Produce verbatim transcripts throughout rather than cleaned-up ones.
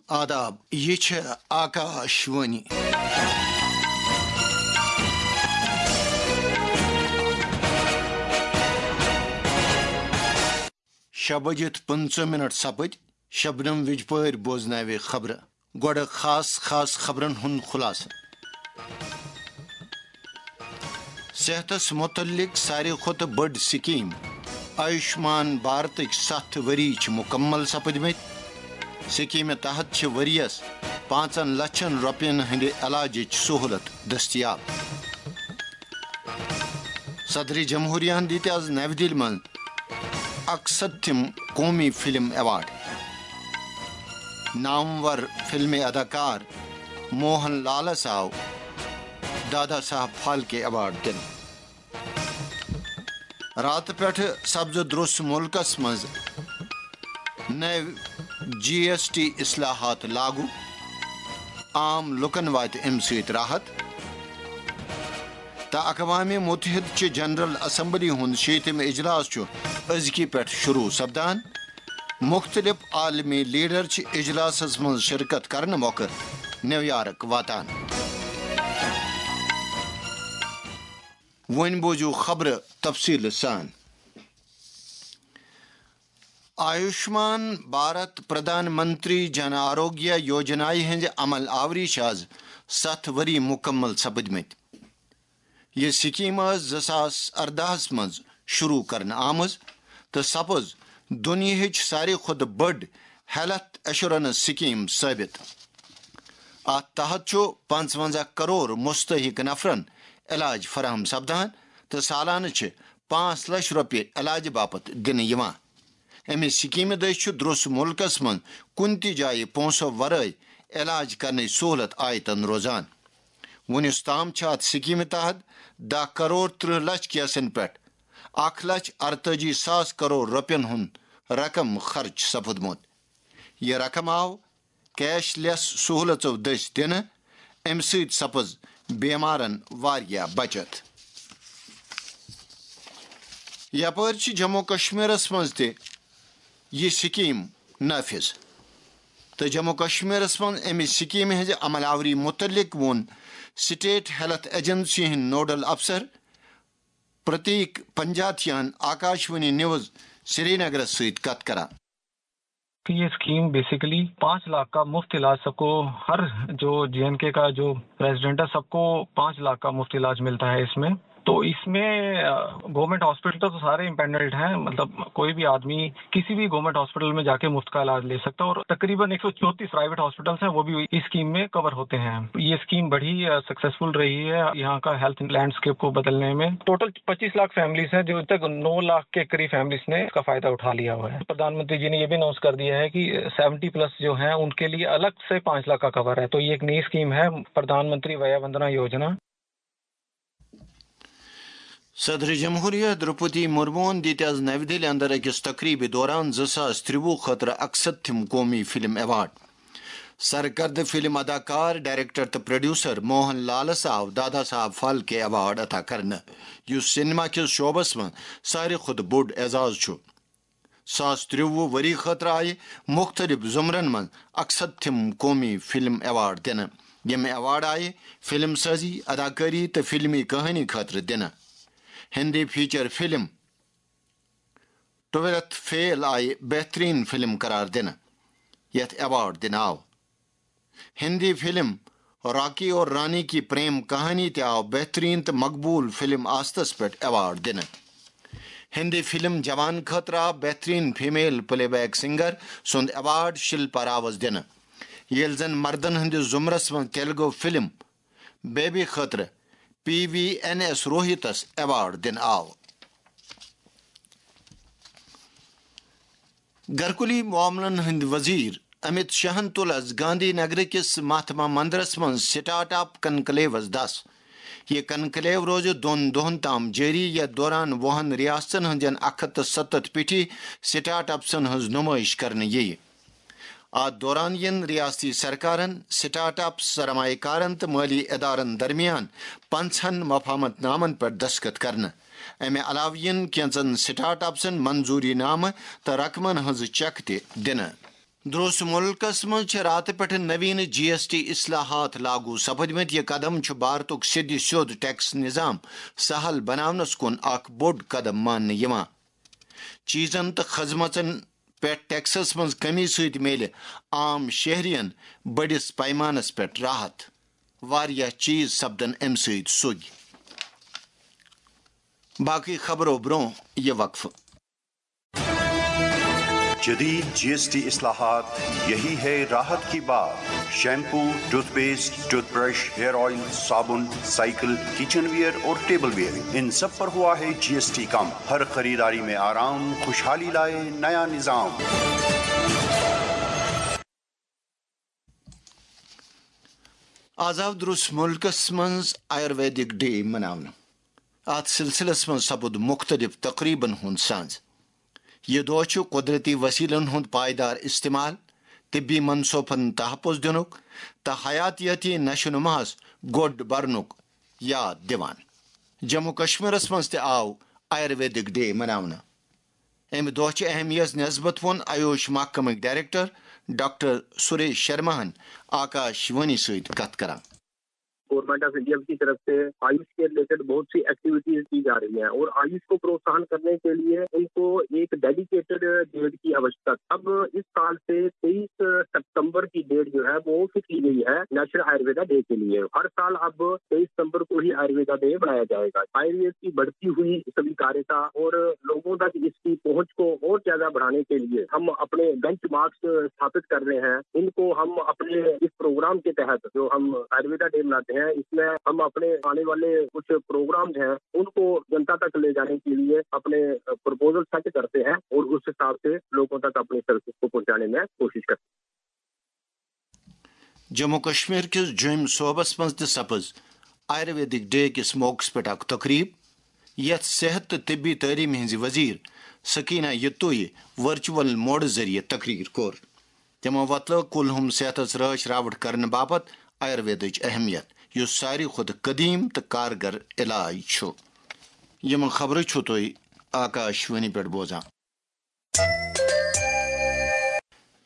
آداب، یہِ چھِ آکاش وانی۔ شےٚ بجِتھ پٕنٛژٕہ منٹ سپٕدۍ، شبنم وِجپٲرۍ بوزناوِ خبرٕ۔ گۄڈٕ خاص خاص خبرن ہُنٛد خلاصہٕ۔ صحتس متعلق ساروی کھۄتہٕ بٔڑ سکیٖم آیوشمان بھارتٕکۍ ستھ ؤری چھِ مکمل سپٕدمٕتۍ۔ سکیٖمہِ تحت چھِ ؤریَس پانٛژن لچھن رۄپین ہٕنٛدِ علاجٕچ سہولت دٔستیاب۔ صدر جمہوریہن دِتۍ از نَوِ دِلہِ منٛز اکستھم قومی فلم ایوارڈ۔ نامور فلمی اداکار موہن لالس آو دادا صاحب پھالکے ایوارڈ دِنہٕ۔ راتہٕ پٮ۪ٹھٕ سپزٕ درٛوس مُلکس منٛز نٔوۍ جی ایس ٹی اصلاحات لاگو، عام لُکن واتہِ امہِ سۭتۍ راحت۔ تہٕ اقوام متحدٕ چہِ جنرل اسمبلی ہُنٛد شیٚیِم اجلاس چھُ أزکہِ پٮ۪ٹھ شروع سپدان۔ مُختٔلِف عالمی لیڈر چھِ اجلاسس منٛز شرکت کرنہٕ مۄکھٕ نیویارک واتان۔ وۄنۍ بوزِو خبرٕ تفصیٖلہٕ سان۔ آیوشمان بھارت پردھان منتری جن آروگیہ یوجنایہِ ہٕنٛزِ عمل آوری چھِ از ستھ ؤری مکمل سپٕدمٕتۍ۔ یہِ سکیٖم ٲس زٕ ساس ارداہس منٛز شروع کرنہٕ آمٕژ تہٕ سپٕز دُنیاہٕچ ساروی کھۄتہٕ بٔڑ ہیلتھ ایشورنس سکیٖم ثٲبت۔ اتھ تحت چھُ پنٛژونٛزاہ کرور مستحق نفرن علاج فراہم سپدان تہٕ سالانہٕ چھِ پانٛژھ لچھ رۄپیہِ علاجہٕ باپتھ دِنہٕ یِوان۔ امہِ سکیٖمہِ دٔسۍ چھُ درٛوس مُلکس منٛز کُنہِ تہِ جایہِ پونٛسو ورٲے علاج کرنٕچ سہولت آیتن روزان۔ وُنیُس تام چھِ اتھ سکیٖمہِ تحت دَہ کرور ترٕٛہ لچھ کیسن پٮ۪ٹھ اکھ لچھ ارتٲجی ساس کرور رۄپین ہُنٛد رقم خرچ سپُدمُت۔ یہِ رقم آو کیش لیس سہولژو دٔسۍ دِنہٕ، امہِ سۭتۍ سپٕز بیمارن واریاہ بچت۔ یپٲرۍ چھِ جموں کشمیرس منٛز تہِ یہِ سکیٖم نافذ۔ تہٕ جموں کشمیرس منٛز امہِ سکیٖمہِ ہٕنٛزِ عمل آوری مُتعلق ووٚن سٹیٹ ہیلتھ ایجنسی ہٕنٛدۍ نوڈل افسر پرتیک پنجاتھیان آکاشوانی نیوز سرینگرس سۭتۍ کتھ کران۔ کہ یہ اسکیم بیسیکلی پانچ لاکھ کا مفت علاج سب کو، ہر جو جے این کے کا جو ریزیڈنٹ ہے سب کو پانچ لاکھ کا مفت علاج ملتا ہے اس میں۔ تو اس میں گورنمنٹ ہاسپٹل تو سارے امپینلڈ ہیں، مطلب کوئی بھی آدمی کسی بھی گورنمنٹ ہاسپٹل میں جا کے مفت کا علاج لے سکتا ہے، اور تقریباً ایک سو چونتیس پرائیویٹ ہاسپٹلس ہیں، وہ بھی اس اسکیم میں کور ہوتے ہیں۔ یہ اسکیم بڑی سکسیسفل رہی ہے یہاں کا ہیلتھ لینڈسکیپ کو بدلنے میں۔ ٹوٹل پچیس لاکھ فیملیز ہیں، جو اب تک نو لاکھ کے قریب فیملیز نے اس کا فائدہ اٹھا لیا ہوا ہے۔ پردھان منتری جی نے یہ بھی اناؤنس کر دیا ہے کہ سیونٹی پلس جو ہیں ان کے لیے الگ سے پانچ لاکھ کا کور ہے۔ تو یہ ایک نئی اسکیم ہے، پردھان منتری ویا وندنا یوجنا۔ صدر جمہوریہ دروپدی مرموہن دِتۍ از نَوِ دِلہِ اندر أکِس تقریبہِ دوران زٕ ساس ترٛوُہ خٲطرٕ اکستھم قومی فلم ایوارڈ۔ سرکردٕ فلم اداکار، ڈائریکٹر تہٕ پروڈیوسر موہن لالس آو دادا صاحب فالکے ایوارڈ عطا کرنہٕ، یُس سینما کِس شعبس منٛز ساروی کھۄتہٕ بوٚڑ اعزاز چھُ۔ زٕ ساس ترٛوُہ ؤری خٲطرٕ آیہِ مُختٔلِف زمرن منٛز اکستھم قومی فلم ایوارڈ دِنہٕ۔ یِم ایوارڈ آیہِ فلم سازی، اداکٲری تہٕ فلمی کہانی خٲطرٕ دِنہٕ۔ Hindi feature film twelfth fail آیہِ بہترین فلم قرار دِنہٕ، یتھ ایوارڈ دِنہٕ آو۔ ہندی فلم راکی اور رانی کی پریم کہانی تہِ آو بہترین تہٕ مقبول فلم آستس پٮ۪ٹھ ایوارڈ دِنہٕ۔ ہندی فلم جوان خٲطرٕ آو بہترین فیمیل پلے بیک سنگر سُنٛد ایوارڈ شلپا راوس دِنہٕ، ییٚلہِ زن مردن ہٕنٛدِس زمرس منٛز تیلگو فلم بیبی خٲطرٕ پی وی این ایس روہتس ایوارڈ دِنہٕ آو۔ گرکولی معاملن ہٕنٛدۍ وزیر امت شاہن تُل از گاندھی نگر کِس مہاتما مندرس منٛز سٹارٹ اپ کنکلیوس دس۔ یہِ کنکلیو روزِ دۄن دۄہن تام جٲری، یتھ دوران وُہن ریاستن ہٕنٛدٮ۪ن اکھ ہتھ تہٕ ستتھ پیٹھی سٹارٹ اپسن ہٕنٛز نمٲیش کرنہٕ یِیہِ۔ اتھ دوران یِن ریاستی سرکارن، سٹارٹ اپس، سرمایہ کارن تہٕ مٲلی ادارن درمیان پنژہن مفاہمت نامن پٮ۪ٹھ دستخط کرنہٕ۔ امہِ علاوٕ یِن کینژن سٹارٹ اپسن منظوری نامہٕ تہٕ رقمن ہٕنٛز چیک تہِ دِنہٕ۔ درٛوس مُلکس منٛز چھِ راتہٕ پٮ۪ٹھٕ نویٖنہٕ جی ایس ٹی اصلاحات لاگو سپدمٕتۍ۔ یہِ قدم چھُ بھارتُک سیٚدِ سیوٚد ٹیکس نظام سہل بناونس کُن اکھ بوٚڑ قدم ماننہٕ یِوان۔ چیٖزن تہٕ خدمژن پٮ۪ٹھ ٹیکسس منٛز کمی سۭتۍ میلہِ عام شہرین بٔڑِس پیمانس پٮ۪ٹھ راحت۔ واریاہ چیٖز سپدن امہِ سۭتۍ سوٚگۍ۔ باقٕے خبرو برٛونٛہہ یہِ وقفہٕ۔ جدید جی ایس ٹی اصلاحات، یہی ہے راحت کی بات۔ Shampoo, toothpaste, toothbrush, hair oil, صابن، سائیکل، کچن ویئر اور ٹیبل ویئر، ان سب پر ہوا ہے جی ایس ٹی کم۔ ہر خریداری میں آرام، خوشحالی لائے نیا نظام۔ آز آو درٛوس مُلکس منٛز آیُرویدک ڈے مناونہٕ۔ اتھ سلسلس منٛز سپُد مُختٔلِف تقریبن ہُنٛد سانز۔ یہِ دۄہ چھُ قۄدرتی وسیلن ہُنٛد پائیدار استعمال، طبی منصوبن تحفظ دِنُک تہٕ حیاتیٲتی نشو نماہس گۄڈ برنُک یاد دِوان۔ جموں کشمیرس منٛز تہِ آو آیُرویدک ڈے مناونہٕ۔ امہِ دۄہ چہِ اہمیت نسبت ووٚن آیوش محکمٕکۍ ڈائریکٹر ڈاکٹر سریش شرماہن آکاش وانی سۭتۍ کتھ کران۔ گورنمنٹ آف انڈیا کی طرف سے آیوش کے ریلیٹڈ بہت سی ایکٹیویٹیز کی جا رہی ہیں اور آیوش کو پروتساہن کرنے کے لیے ان کو ایک ڈیڈیکیٹڈ ڈیٹ کی آوشکتا۔ اب اس سال سے تیئیس ستمبر کی ڈیٹ جو ہے وہ فکس کی گئی ہے نیشنل آیورویدا ڈے کے لیے۔ ہر سال اب تیئیس ستمبر کو ہی آیورویدا ڈے بنایا جائے گا۔ آیوروید کی بڑھتی ہوئی سویکارتا اور لوگوں تک اس کی پہنچ کو اور زیادہ بڑھانے کے لیے ہم اپنے بینچ مارکس ستھاپت کر رہے ہیں۔ ان کو ہم اپنے اس پروگرام کے تحت جو ہم آیورویدا ڈے مناتے ہیں، اس میں ہم اپنے آنے والے کچھ پروگرامز ہیں، ان کو جنتا تک لے جانے کے لیے اپنے پروپوزل سیٹ کرتے ہیں اور اس حساب سے لوگوں تک اپنی سروسز کو پہنچانے میں کوشش کرتے ہیں۔ جموں کشمیر کِس جوٚمۍ صوبس منٛز تہِ سپٕز آیُرویدک ڈے کِس موقعس پٮ۪ٹھ اکھ تقریب، یتھ صحت تہٕ طبی تعلیمہِ ہٕنٛزِ وزیر سکینہ یتویہِ ورچوئل موڈٕ ذٔریعہٕ تقریر کوٚر۔ تِمو وۄتلٲو کُلہُم صحتس رٲچھ راوٹھ کرنہٕ باپتھ آیُرویدٕچ اہمیت، یُس ساروی کھۄتہٕ قدیم تہٕ کارگر علاج چھُ۔ یِم خبرٕ چھِو تُہۍ آکاش وانی پٮ۪ٹھ بوزان۔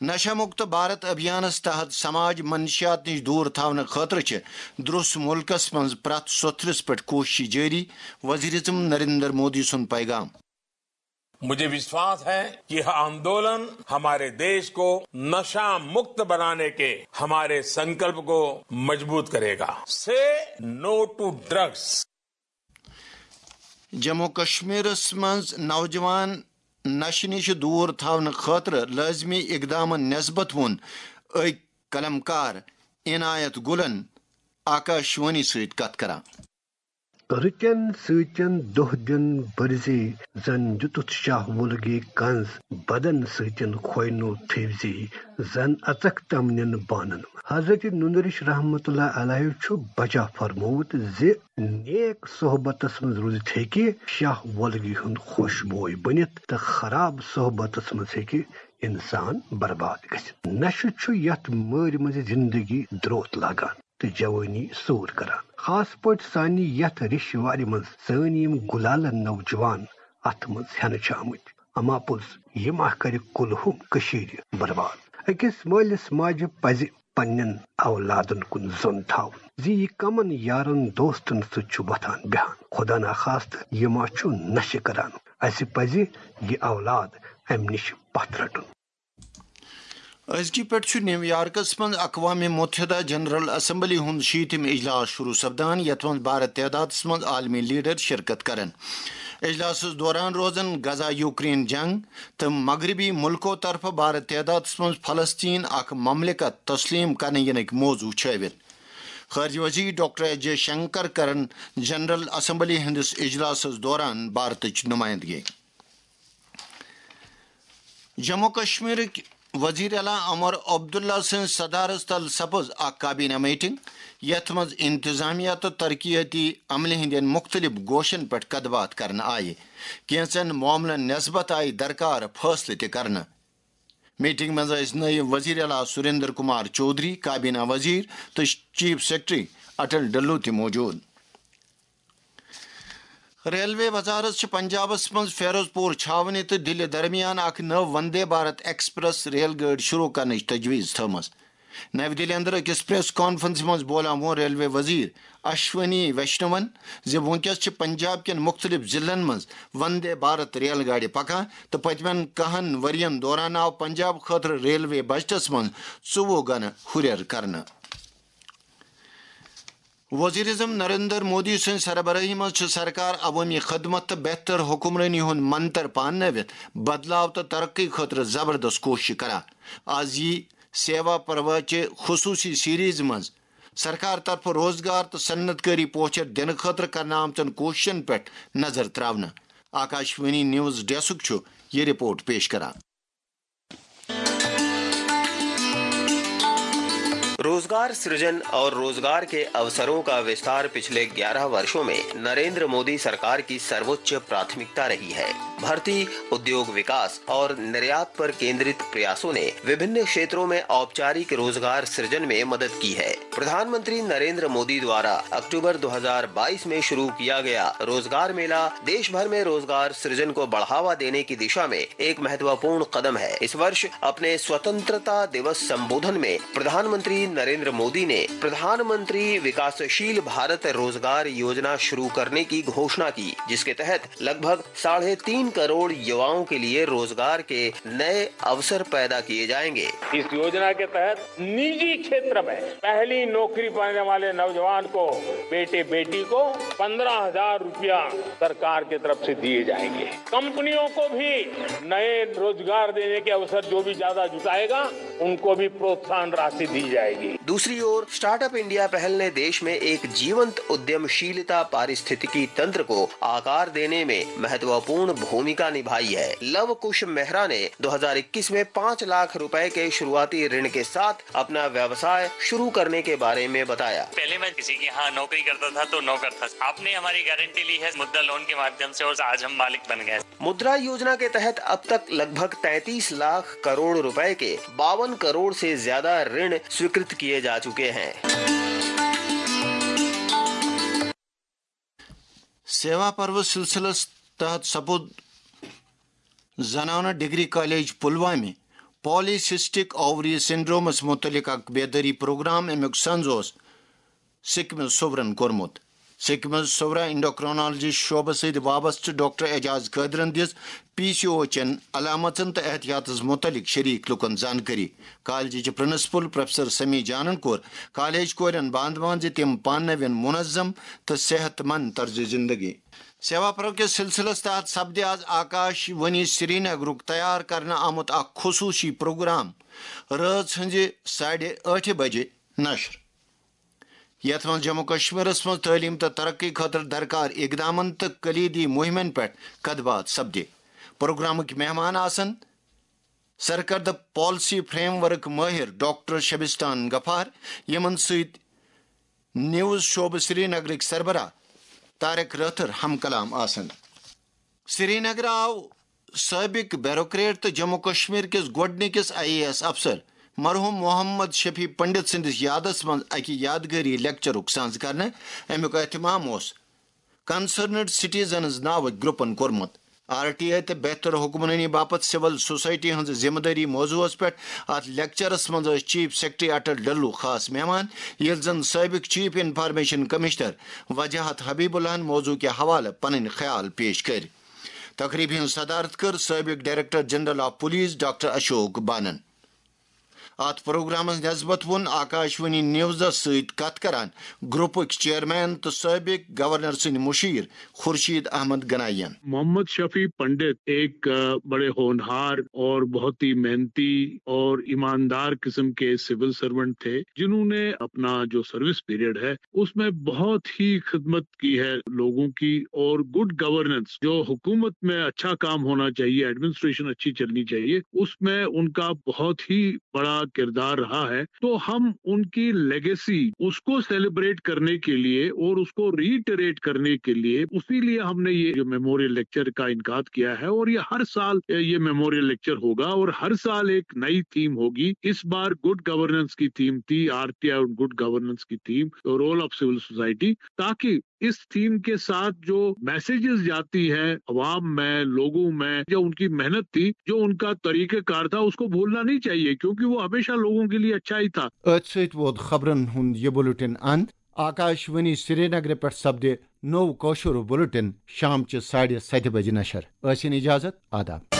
نشہ مکت بھارت ابھیانس تحت سماج منشیات نش دور تھاونہٕ خٲطرٕ چھِ درٛوس مُلکس منٛز پرٛٮ۪تھ سوٚتھرِس پٮ۪ٹھ کوٗششہٕ جٲری، وزیر اعظم نریندر مودی سُنٛد پیغام۔ मुझे विश्वास है कि यह आंदोलन हमारे देश को नशा मुक्त बनाने के हमारे संकल्प को मजबूत करेगा। Say no to drugs. Jammu کشمیرس منٛز نوجوان نشہٕ نِش دوٗر تھاونہٕ خٲطرٕ لٲزمی اقدامن نسبت ووٚن أکۍ قلمکار عنایت گلن آکاشوانی سۭتۍ کتھ کران۔ رٕتٮ۪ن سۭتٮ۪ن دۄہ دِن بٔرزے، زن دِتُتھ شاہ وُلگے کنز، بدن سۭتٮ۪ن کھوینو تھٲوزے، زن اژکھ تمنٮ۪ن بانن۔ حضرت نُنرِش رحمتہ اللہ علیہ چھُ بجا فرموومُت زِ نیک صحبتس منٛز روٗزِتھ ہیٚکہِ شاہ وُلگہٕ ہُنٛد خۄش بوے بٔنِتھ تہٕ خراب صحبتس منٛز ہیٚکہِ انسان برباد گٔژھِتھ۔ نشہٕ چھُ یتھ مٲرۍ منٛز زندگی دروت لاگان تہٕ جوٲنی سوٗر کران، خاص پٲٹھۍ سانہِ یتھ ریشہِ وارِ منٛز سٲنۍ یِم گُلالہٕ نوجوان اتھ منٛز ہٮ۪نہٕ چھِ آمٕتۍ۔ اما پوٚز، یہِ ما کرِ کُلہُم کٔشیٖرِ برباد۔ أکِس مٲلِس ماجہِ پزِ پننٮ۪ن اولادن کُن زوٚن تھاوُن زِ یہِ کمن یارن دوستن سۭتۍ چھُ وۄتھان بیہان۔ خدا نخواستہٕ یہِ ما چھُ نشہٕ کران۔ اسہِ پزِ یہِ اولاد امہِ نِش پتھ رٹُن۔ أزکہِ پٮ۪ٹھ چھُ نیو یارکس منٛز اقوام متحدہ جنرل اسمبلی ہُنٛد شیٖتِم اجلاس شروع سپدان، یتھ منٛز بھارت تعدادس منٛز عالمی لیڈر شرکت کرن۔ اجلاسس دوران روزن غزہ یوکرین جنگ تہٕ مغربی ملکو طرفہٕ بھارت تعدادس منٛز فلسطین اکھ مملکت تسلیم کرنہٕ ینٕکۍ موضوع چھٲوِتھ۔ خارجہ وزیر ڈاکٹر ایس جے شنکر کرن جنرل اسمبلی ہٕنٛدِس اجلاسس دوران بھارتٕچ نمائندگی۔ جموں کشمیرٕکۍ وزیر اعلیٰ عمر عبداللہ سٕنٛز صدارت تل سپٕز اکھ کابینہ میٹنگ، یتھ منٛز انتظامیہ تہٕ ترقیاتی عملہِ ہٕنٛدٮ۪ن مُختٔلِف گوشن پٮ۪ٹھ کتھ باتھ کرنہٕ آیہِ۔ کینٛژن معاملن نسبت آیہِ درکار فٲصلہٕ تہِ کرنہٕ۔ میٹنگ منٛز ٲسۍ نٲیِب وزیر اعلیٰ سریندر کمار چودھری، کابینہ وزیر تہٕ چیف سیکرٹری اٹل ڈلو تہِ موجود۔ ریلوے وزارت چھِ پنجابس منٛز فیروز پور چھاونہِ تہٕ دِلہِ درمیان اکھ نٔو وندے بھارت ایکسپریس ریل گٲڑۍ شروع کرنٕچ تجویز تھٲومٕژ۔ نَوِ دِلہِ اندر أکِس پریس کانفرنسہِ منٛز بولاوُن ریلوے وزیر اشونی ویشنون زِ وُنکیٚس چھِ پنجاب کٮ۪ن مُختٔلِف ضلعن منٛز وندے بھارت ریل گاڑِ پکان تہٕ پٔتمٮ۪ن کَہَن ؤرین دوران آو پنجاب خٲطرٕ ریلوے بجٹس منٛز ژوٚوُہ گنہٕ ہُرٮ۪ر کرنہٕ۔ وزیر اعظم نریندر مودی سٕنٛز سربرٲہی منٛز چھِ سرکار عوٲمی خدمت تہٕ بہتر حکمرٲنی ہُنٛد منتر پاننٲوِتھ بدلاو تہٕ ترقی خٲطرٕ زبردست کوٗشش کران۔ از یی سیوا پروا چہِ خصوٗصی سیریز منٛز سرکار طرفہٕ روزگار تہٕ صنعت کٲری پوچھر دِنہٕ خٲطرٕ کرنہٕ آمژن کوٗششن پٮ۪ٹھ نظر تراونہٕ۔ آکاش وانی نیوز ڈیسک چھُ یہِ رپورٹ پیش کران۔ रोजगार सृजन और रोजगार के अवसरों का विस्तार पिछले ग्यारह वर्षों में नरेंद्र मोदी सरकार की सर्वोच्च प्राथमिकता रही है। भर्ती, उद्योग विकास और निर्यात पर केंद्रित प्रयासों ने विभिन्न क्षेत्रों में औपचारिक रोजगार सृजन में मदद की है। प्रधानमंत्री नरेंद्र मोदी द्वारा अक्टूबर दो हज़ार बाईस में शुरू किया गया रोजगार मेला देश भर में रोजगार सृजन को बढ़ावा देने की दिशा में एक महत्वपूर्ण कदम है। इस वर्ष अपने स्वतंत्रता दिवस संबोधन में प्रधानमंत्री नरेंद्र मोदी ने प्रधानमंत्री विकासशील भारत रोजगार योजना शुरू करने की घोषणा की, जिसके तहत लगभग साढ़े तीन करोड़ युवाओं के लिए रोजगार के नए अवसर पैदा किए जाएंगे। इस योजना के तहत निजी क्षेत्र में पहली नौकरी पाने वाले नौजवान को, बेटे बेटी को पन्द्रह हज़ार रुपया सरकार की तरफ से दिए जाएंगे। कंपनियों को भी नए रोजगार देने के अवसर जो भी ज्यादा जुटाएगा, उनको भी प्रोत्साहन राशि दी जाएगी। दूसरी ओर, स्टार्टअप इंडिया पहल ने देश में एक जीवंत उद्यमशीलता पारिस्थितिकी तंत्र को आकार देने में महत्वपूर्ण भूमिका निभाई है। लव कुश मेहरा ने दो हज़ार इक्कीस में पाँच लाख रुपए के शुरुआती ऋण के साथ अपना व्यवसाय शुरू करने के बारे में बताया। पहले मैं किसी के यहाँ नौकरी करता था तो नौकर था। आपने हमारी गारंटी ली है मुद्रा लोन के माध्यम से और आज हम मालिक बन गए। मुद्रा योजना के तहत अब तक लगभग तैंतीस लाख करोड़ रुपए के बावन करोड़ से ज्यादा ऋण स्वीकृत किए जा चुके हैं। سیوا پرو سلسلس تحت سپُد زنانہٕ ڈگری کالج پلوامہ پالی سسٹک اووری سنڈرومس متعلق اکھ بیدٲری پروگرام۔ امیُک سنز اوس سکمز صورن کوٚرمُت۔ سکمز صورہ انڈوکرونالجی شعبہٕ سۭتۍ وابستہٕ ڈاکٹر اعجاز قٲدرن دِژ پی سی او چٮ۪ن علامژن تہٕ احتیاطس متعلق شریک لوٗکن زانکٲری۔ کالجٕچ پرنسپل پروفیسر سمی جانن کوٚر کالج کورٮ۪ن باندوان زِ تِم پاننٲوِن منظم تہٕ صحت مند طرز زندگی۔ سیوا پرو کِس سلسلس تحت سپدِ آز آکاش وانی سرینگرُک تیار کرنہٕ آمُت اکھ خصوصی پروگرام رٲژ ہٕنزِ ساڑِ ٲٹھِ بجہِ نشر۔ یتھ منٛز جموں کشمیرس منٛز تعلیم تہٕ ترقی خٲطرٕ درکار اقدامن تہٕ کلیدی مہمن پٮ۪ٹھ کتھ باتھ سپدِ۔ پروگرامٕکۍ مہمان آسن سرکردٕ پالیسی فریم ورک مٲہر ڈاکٹر شبستان غفار، یِمن سۭتۍ نیوز شعبہٕ سرینگرٕکۍ سربراہ طارق رٲتھر ہم کلام آسن۔ سرینگر آو سٲبق بیوروکریٹ تہٕ جموں کشمیر کِس گۄڈٕنِکِس آئی اے ایس افسر مرحوم محمد شفیع پنڈت سٕنٛدِس یادس منٛز اکہِ یادگٲری لیکچرُک سانز کرنہٕ۔ امیُک اہتمام اوس کنسرنڈ سٹیزنز ناوٕکۍ گروپن کوٚرمُت۔ آر ٹی آئی تہٕ بہتر حکمرٲنی باپتھ سول سوسائٹی ہٕنٛز ذمہٕ دٲری موضوعس پٮ۪ٹھ اتھ لیکچرس منٛز ٲسۍ چیف سیکرٹری اٹل ڈلو خاص مہمان، ییٚلہِ زن سٲبق چیف انفارمیشن کمشنر وجاہت حبیب اللہ ہن موضوع کہِ حوالہٕ پنٕنۍ خیال پیش کٔرۍ۔ تقریبہِ ہٕنٛز صدارت کٔر سٲبق director general of police doctor Ashok بانن۔ اتھ پروگرامس نسبت ووٚن آکاشوانی نیوزس سۭتۍ کتھ کران گروپٕکۍ چیئرمین تہٕ سٲبق گورنر سٕنٛدۍ مشیر خورشید احمد گنائی ین۔ محمد شفیع پنڈت ایک، آ، بڑے ہونہار اور بہت ہی محنتی اور ایماندار قسم کے سول سرونٹ تھے، جنہوں نے اپنا جو سروس پیریڈ ہے، اس میں بہت ہی خدمت کی ہے لوگوں کی، اور گڈ گورننس، جو حکومت میں اچھا کام ہونا چاہیے، ایڈمنسٹریشن اچھی چلنی چاہیے، اس میں ان کا بہت ہی بڑا کردار رہا ہے۔ تو ہم ان کی لیگیسی، اس کو سیلیبریٹ کرنے کے لیے اور اس کو ریٹریٹ کرنے کے لیے، اسی لیے ہم نے یہ جو میموریل لیکچر کا انعقاد کیا ہے، اور یہ ہر سال یہ میموریل لیکچر ہوگا، اور ہر سال ایک نئی تھیم ہوگی۔ اس بار گڈ گورننس کی تھیم تھی، آر ٹی آئی اور گڈ گورننس کی theme, rule of civil society, تاکہ इस थीम के साथ जो मैसेजेस जाती है अवाम में, लोगों में, जो उनकी मेहनत थी, जो उनका तरीकेकार था, उसको भूलना नहीं चाहिए, क्योंकि वो हमेशा लोगों के लिए अच्छा ही था। أتھۍ سۭتۍ ووت خبرن ہُنٛد یہِ بُلٹن اند۔ آکاش وانی سرینگرٕ پٮ۪ٹھ سپدِ نوٚو کٲشُر بُلٹن شام چہِ ساڑِ ستہِ بجہِ نشر۔ ٲسِن اجازت، آداب۔